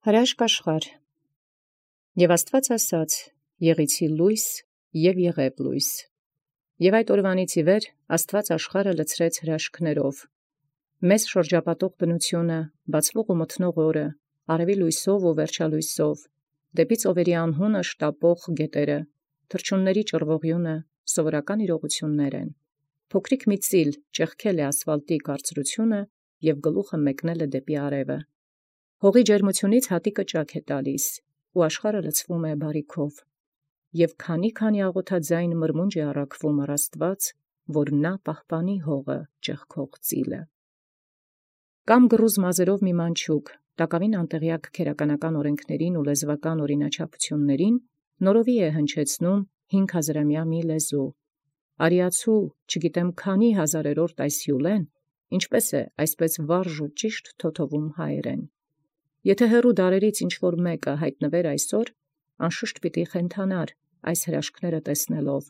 Հրաշք աշխարհ։ Եւ Աստուած ասաց. եղեցի լույս, եւ եղեւ լույս։ Եւ այդ օրվանից ի վեր Աստուած աշխարհը լցրեց հրաշքներով։ Մեզ շրջապատող բնությունը, բացվող ու մթնող օրը, արևի լույսով ու վերջալույսով, դեպի ծովերի անհունը շտապող գետերը, թռչունների ճռվողյունը, սովորական իրողություններ են։ Փոքրիկ մի ծիլ ճեղքել է ասֆալտի կարծրությունը եւ գլուխը մեկնել է դեպի արևը։ Հողի ջերմությունից հատիկը ճաք է տալիս, ու աշխարհը լցվում է բարիքով, եւ քանի աղոթաձայն մրմունջ է առաքվում առ Աստուած, որ նա պահպանի հողը ճեղքող ծիլը։ Կամ գրուզ մազերով մի մանչուկ, տակավին անտեղյակ քերականական օրենքներին ու լեզվական օրինաչափություններին, նորովի է հնչեցնում 5000-ամյա մի լեզու։ Արիացու, չգիտեմ քանի հազարերորդ այս հյուլեն, ինչպես է այսպես վարժ ու ճիշտ թոթովում հայերեն։ Եթե հեռու դարերից ինչ-որ մեկը հայտնվեր այսօր, անշուշտ պիտի խենթանար այս հրաշքները տեսնելով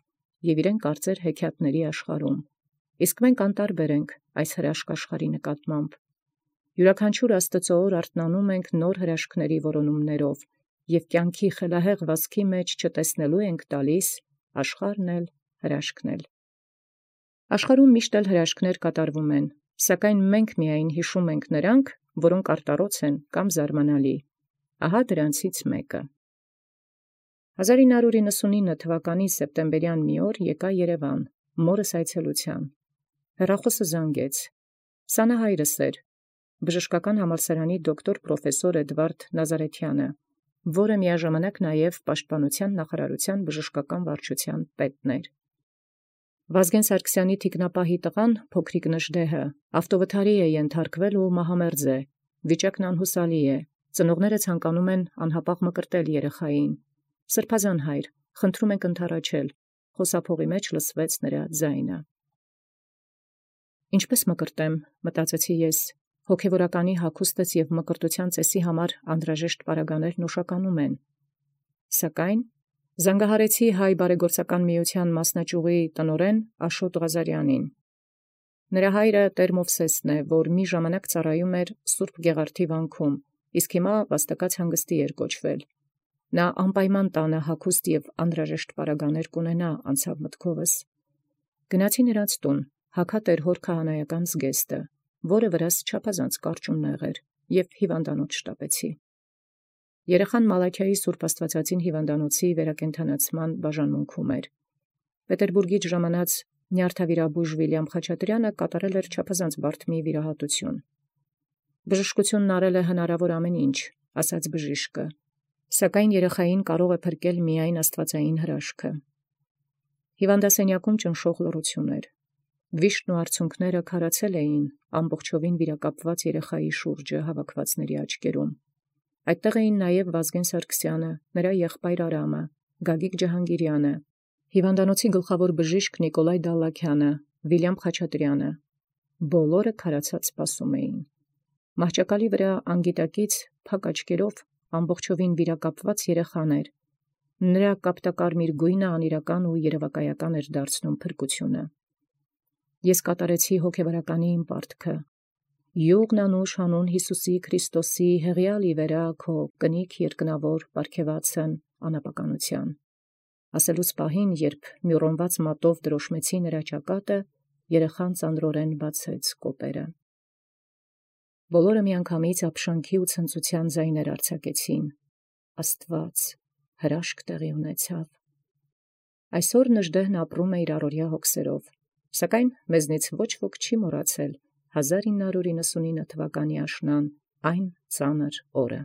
և իրեն կարծեր հեքիաթների աշխարհում, իսկ մենք անտարբեր ենք այս հրաշք աշխարհի նկատմամբ։ Յուրաքանչյուր Աստծո օր արթնանում ենք նոր հրաշքների որոնումներով և կյանքի խելահեղ վասքի մեջ չտեսնելու ենք տալիս աշխարհն էլ հրաշքն էլ։ Աշխարհում միշտ էլ հրաշքներ կատարվում են, սակայն մենք միայն հիշում ենք նրանք, որոնք արտառոց են կամ զարմանալի։ Ահա դրանցից մեկը։ 1999 թվականի սեպտեմբերյան մի օր եկա Երևան, մորս այցելության։ Հեռախոսը զանգեց։ Սանա հայրս էր, բժշկական համալսարանի դոկտոր պրոֆեսոր Էդվարդ Նազարեթյանը, որը միաժամանակ նաև Պաշտպանության նախարարության բժշկական վարչության պետն էր։ Վազգեն Սարգսյանի թիկնապահի տղան, փոքրիկ Նժդեհը, ավտովթարի է ենթարկվել ու մահամերձ է, վիճակն անհուսալի է, ծնողները ցանկանում են անհապաղ մկրտել երեխային։ Սրբազան հայր, խնդրում ենք ընդառաջել, խոսափողի մեջ լսվեց նրա ձայնը։ Ինչպես մկրտեմ, մտածեցի ես, հոգևորականի հագուստս և մկրտության ծեսի համար անհրաժեշտ պարագաներն ուշականում են։ Սակայն զանգահարեցի հայ բարեգործական միության մասնաճյուղի տնօրեն Աշոտ Ղազարյանին։ Նրա հայրը Տեր Մովսեսն է, որ մի ժամանակ ծառայում էր Սուրբ Գեղարդի վանքում, իսկ հիմա վաստակած հանգստի էր կոչվել։ Նա անպայման տանը հագուստ և անհրաժեշտ պարագաներ կունենա, անցավ մտքովս։ Գնացի նրանց տուն, հագատ էր հոր քահանայական զգեստը, որը վրաս չափազանց կարճ ու նեղ էր, և հիվանդանոց շտապեցի։ Երեխան Մալաքիայի Սուրբ Աստվածածին հիվանդանոցի վերակենդանացման բաժանմունքում էր։ Պետերբուրգից ժամանած նյարդավիրաբույժ Վիլյամ Խաչատրյանը կատարել էր չափազանց բարդ մի վիրահատություն։ Բժշկությունն արել է հնարավոր ամեն ինչ, ասաց բժիշկը, սակայն երեխային կարող է փրկել միայն աստվածային հրաշքը։ Հիվանդասենյակում ճնշող լռություն էր։ Վիշտն ու արցունքները քարացել էին ամբողջովին վիրակապված երեխայի շուրջը հավաքվածների աչքերում։ Այդտեղ էին նաև Վազգեն Սարգսյանը, նրա եղբայր Արամը, Գագիկ Ջահանգիրյանը, հիվանդանոցի գլխավոր բժիշկ Նիկոլայ Դալլաքյանը, Վիլյամ Խաչատրյանը։ Բոլորը քարացած սպասում էին։ Մահճակալի վրա անգիտակից փակ աչքերով ամբողջովին վիրակապված երեխան էր։ Նրա կապտակարմիր գույնը անիրական ու երևակայական էր դարձնում փրկությունը։ Ես կատարեցի հոգևորականի իմ պարտքը։ Յուղն անուշ հանուն Հիսուսի Քրիստոսի հեղյալի վերա քո կնիկ երկնավոր պարգևացն անապականության։ Ասելուց պահին, երբ մյուրոնված մատով դրոշմեցի նրա ճակատը, երեխան ծանրորեն բացեց կոպերը։ Բոլորը միանգամից ապշանքի ու ցնծության ձայներ արձակեցին։ Աստված, հրաշք տեղի ունեցավ։ Այսօր Նժդեհն ապրում է իր առօրյա հոգսերով, սակայն մեզնից ոչ ոք չի մոռացել 1999 թվականի աշնան այն ծանր օրը։